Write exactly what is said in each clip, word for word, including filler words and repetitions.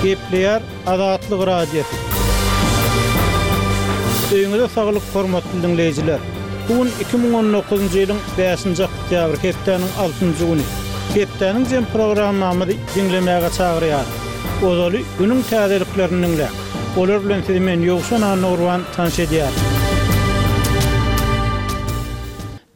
Gepleýär Azatlyk Radiosy. Öýüňize saglyk, hormatly diňleýjiler. Bu gün iki müň on dokuzynjy ýylyň bäşinji oktýabry, hepdäniň altynjy güni. Hepdäniň jem programmamyzy diňlemäge çagyrýarys. Ozaly günüň täzeliklerini diňläň. Olar bilen sizi men Ýowşan Annagurban tanyş edýärin.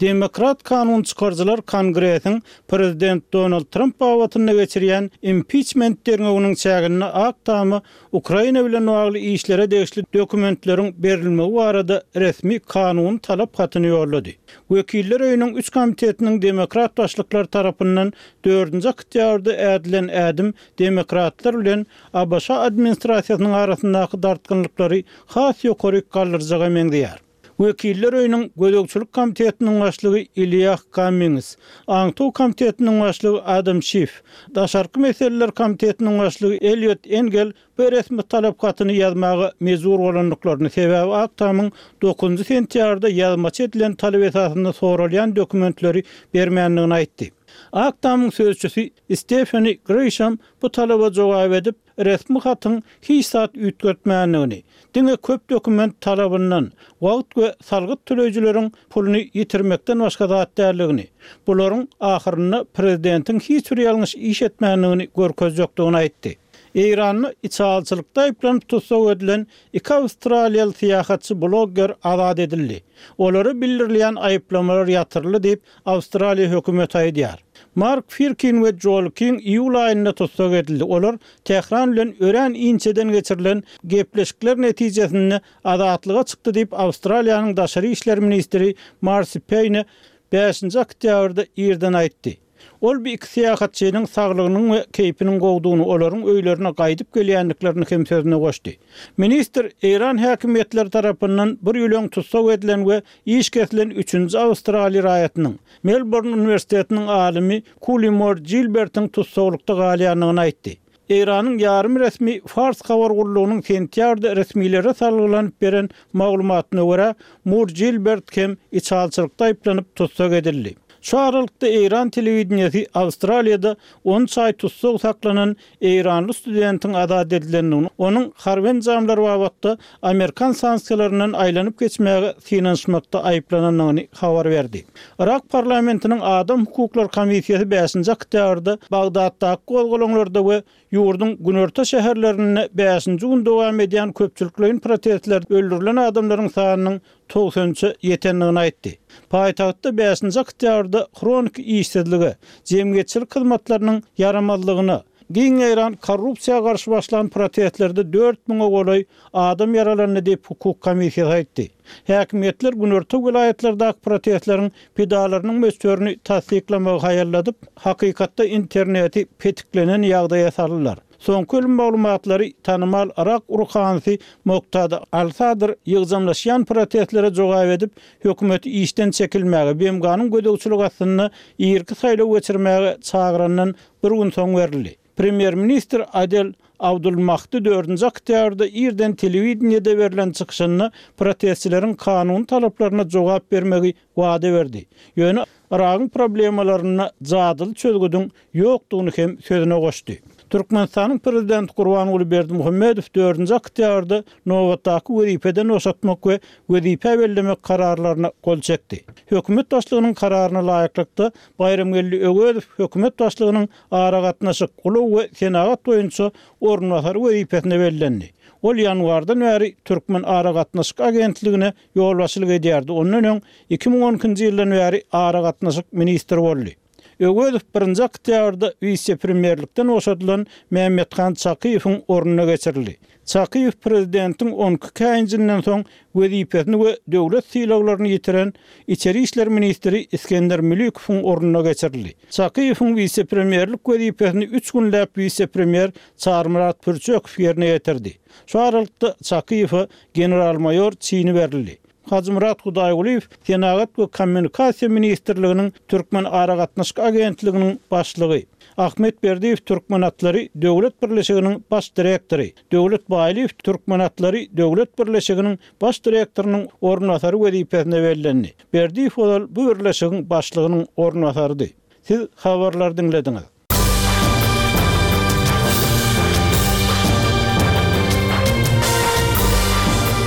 Demokrat kanun çykaryjylar Kongresiň Prezident Donald Tramp babatynda geçirýän impiçment derňewiniň çäginde Ak Tama Ukraina bilen bagly işlere degişli dokumentleriň berilmegi barada resmi kanuny talap hatyny ýollady. Wekiller öýüniň üç komitetiniň demokrat başlyklary tarapyndan dördünji oktýabrda ädilen ädim demokratlar bilen A B Ş administrasiýasynyň arasyndaky dartgynlyklary has ýokary galdyrjaga meňzeýär. Wekiller öýüniň gözegçilik komitetiniň başlygy Ilýah Kammings, Aňtaw komitetiniň başlygy Adam Şif, Daşarky meseleler komitetiniň başlygy Eliot Engel bu resmi talap hatyny ýazmaga mejbur bolandyklaryny, sebäbi Ak Tamyň dokuzynjy sentýabrda ýazmaça edilen talap esasynda soralýan dokumentleri bermändigini aýtdy. Ak Tamyň sözçüsi Stefani Grisham bu talaba jogap edip, resmi hatyň hiç zat üýtgetmändigini, diňe köp dokument talabyndan, wagt we salgyt töleýjileriň puluny ýitirmekden başga zat däldigini, bularyň ahyrynda prezidentiň hiç bir ýalňyş iş etmändigini görkezjekdigini aýtdy. Eýranda içalçylykda aýyplanyp tussag edilen iki awstraliýaly syýahatçy blogger azat edildi. Olara bildirilýän aýyplamalar ýatyryldy diýip, Awstraliýa hökümeti aýdýar. Mark Firkin we Joel King iýul aýynda tussag edildi. Olar Tähran bilen örän inçeden geçirilen gepleşikler netijesinde azatlyga çykdy diýip, Awstraliýanyň daşary işler ministri Marsi Payne bäşinji oktýabrda irden aýtdy. Ol bu iki syýahatçynyň saglygynyň we keýpiniň gowdugyny, olaryň öýlerine gaýdyp gelýändiklerini hem sözüne goşdy. Ministr Eýran häkimiýetleri tarapyndan bir ýyl öň tussag edilen we iş kesilen üçünji awstraliýa raýatynyň, Melbourne uniwersitetiniň alymy Kuli Moore Gilbertiň tussaglykda galýandygyny aýtdy. Eýranyň ýarym resmi Fars habar gullugynyň sentýabrda resmilere salgylanyp beren maglumatyna görä, Moore Gilbert hem içalçylykda aýyplanyp tussag edildi. Şu aralykda Eýran telewideniýesi Awstraliýada on üç aý tussag saklanan eýranly studentiň azat edilendigini, onuň harby enjamlar babatda Amerikan sanksiýalaryndan aýlanyp geçmäge synanyşmakda aýyplanandygyny habar berdi. Irak parlamentiniň Adam hukuklary komissiýasy bäşinji oktýabrda Bagdatdaky gozgalaňlarda we ýurduň günorta şäherlerinde bäşinji gün dowam edýän köpçülikleýin protestler öldürilen adamlaryň sanynyň togsan üçe ýetendigini aýtdy. Paýtagtda bäşinji oktýabrda hroniki işsizlige, jemgyýetçilik hyzmatlarynyň ýaramazlygyna, giň ýaýran korrupsiýa garşy başlan protestlerde dört müňe golaý adam ýaralandy diýip hukuk komissiýasy aýtdy. Häkimiýetler günorta welaýatlardaky protestleriň pidalarynyň möçberini tassyklamagy haýalladyp, hakykatda interneti petiklenen ýagdaýa saldylar. Soňky ölüm maglumatlary tanymal Irak ruhanysy Moktada Al-Sadr ýygjamlaşýan protestlere jogap edip, hökümeti işden çekilmäge, B M G-nyň gözegçilik astynda irki saýlaw geçirmäge çagyrandan bir gün soň berildi. Premýer-ministr Adel Abdulmahdi dördünji oktýabrda irden telewideniýede berlen çykyşynda protestçileriň kanuny talaplaryna jogap bermegi wada berdi. Ýöne Iragyň problemalarynda jadyly çözgüdiň ýokdugyny hem sözüne goşdy. Türkmenistanyň prezidenti Gurbanguly Berdimuhamedow dördünji oktýabrda nobatdaky wezipeden boşatmak we wezipe bellemek kararlaryna gol çekdi. Hökümet başlygynyň kararyna laýyklykda Baýramgeldi Öwezow hökümet başlygynyň aragatnaşyk, ulag we senagat boýunça orunbasary wezipesine bellendi. Ol ýanwardan bäri Türkmen aragatnaşyk agentligine ýolbaşçylyk edýärdi. Ondan öň iki müň on ikinji ýyldan bäri aragatnaşyk ministri boldy. Öwezow birinji oktýabrda wise-premýerlikden boşadylan Mehmethan Çakyýewiň ornuna geçirildi. Çakyýew prezidentiň on iki käýinjinden soň wezipesini we döwlet sylaglaryny ýitiren Içeri işler ministri Iskender Mülikowyň ornuna geçirildi. Çakyýewiň wise-premýerlik wezipesini üç günläp wise-premýer Çarmyrat Pürçekow ýerine ýetirdi. Şu aralykda Çakyýewe general-maýor çini berildi. Hajymyrat Hudaýgulyýew Senagat we kommunikasiýa ministrliginiň Türkmen aragatnaşyk agentliginiň başlygy, Ahmet Berdiýew Türkmen atlary döwlet birleşiginiň baş direktory, Döwlet Baýlyýew Türkmen atlary döwlet birleşiginiň baş direktorynyň orunbasary wezipesine bellendi. Berdiýew ozal bu birleşigiň başlygynyň orunbasarydy. Siz habarlary diňlediňiz.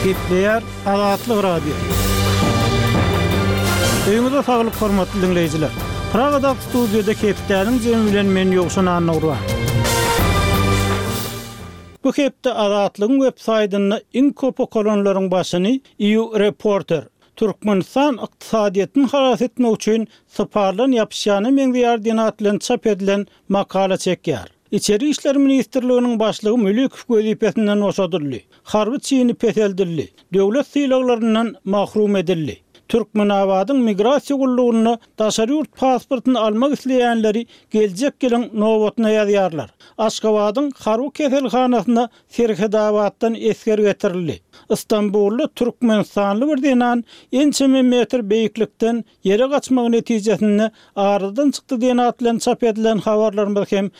Gepleýär Azatlyk Radiosy. Öýüňize saglyk hormatly diňleýjiler. Pragadaky studiýada hepdäniň jemi bilen men Ýowşan Annagurban. Bu hepde Azatlygyň web saýtynda iň köp okalanlaryň başyny EU Reporter Türkmenistan ykdysadyýetini halas etmek üçin syparlan ýapyşýana meňzeýär diýen at bilen çap edilen makala çekýär. Içeri işler ministrliginiň başlygy Mülikow wezipesinden boşadyldy. Harby çini peseldildi. Döwlet sylaglaryndan mahrum edildi. Türkmenabadyň migrasiýa gullugyna daşary ýurt pasportyny almak isleýänleri geljek ýylyň nobatyna ýazýarlar. Aşgabadyň harby keselhanasyna Serhetabatdan esger getirildi. Istanbulda Türkmenistanly bir zenan ençeme metr beýiklikden ýere gaçmagy netijesinde aradan çykdy diýen at bilen çap edilen habarlarymyz hem